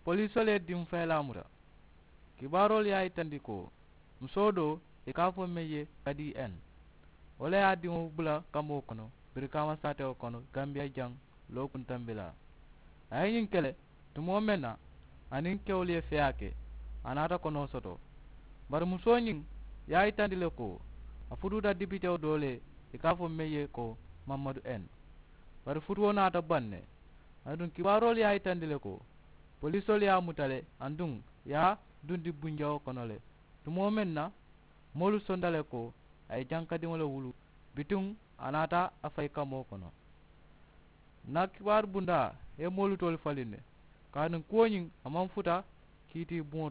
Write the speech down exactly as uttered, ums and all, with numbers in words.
Polisoolu ye diŋ fayilaa muta. Kibaaroolu ye a yitandi ko musoo doo ì ka a fo meŋ ye kadi n wo le ye a diŋo bula kamoo kono birikaama saatewo kono gambiya jaŋ lookuntambilaa. A ye ñiŋ ke le tumoo meŋ na a niŋ kewolu ye feyaa ke a naata konoo soto. Bari musoo ñiŋ ye a yitandi le ko a futuuta dipitewo doo le ì ka a fo meŋ ye ko mammadu n. Bari futuwo naata baŋ ne. Aduŋ kibaaroolu ye a yitandi le ko polisoolu ye a muta le aduŋ ì ye a dundi bunjawo kono le. Tumoo meŋ na moolu sonta le ko a ye jankadiŋo le wulu bituŋ a naata a fayi kamoo kono. N na kibaaru bundaa ye moolu toolu faliŋ ne kaatu kuwo ñiŋ a maŋ futa kiiti buŋo to.